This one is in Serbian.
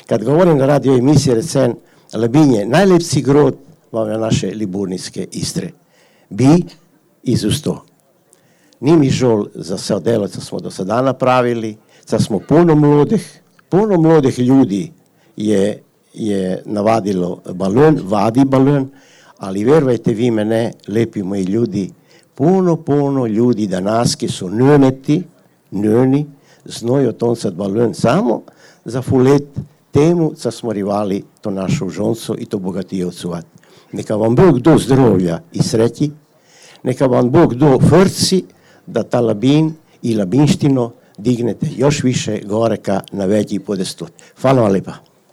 Kad govorim na radio emisiji recen, Labin je najlepši grad v naše Liburnijske Istre. Bi izusto. Ni mi žal za vse delo, co smo do sada napravili, co smo puno mladih ljudi je navadilo balon, vadi balon, ali verujte vi mene, lepi moji ljudi, puno ljudi danas, ki so njeni, znajo toncati balon samo za fulet temu, co smo rivali to našo žonco i to bogatijo odsuvati. Neka vam Bog do zdravlja i sreći, neka vam Bog do frci, da ta Labin i labinštino dignete još više gore ka na veći podestot. Hvala vam lepa.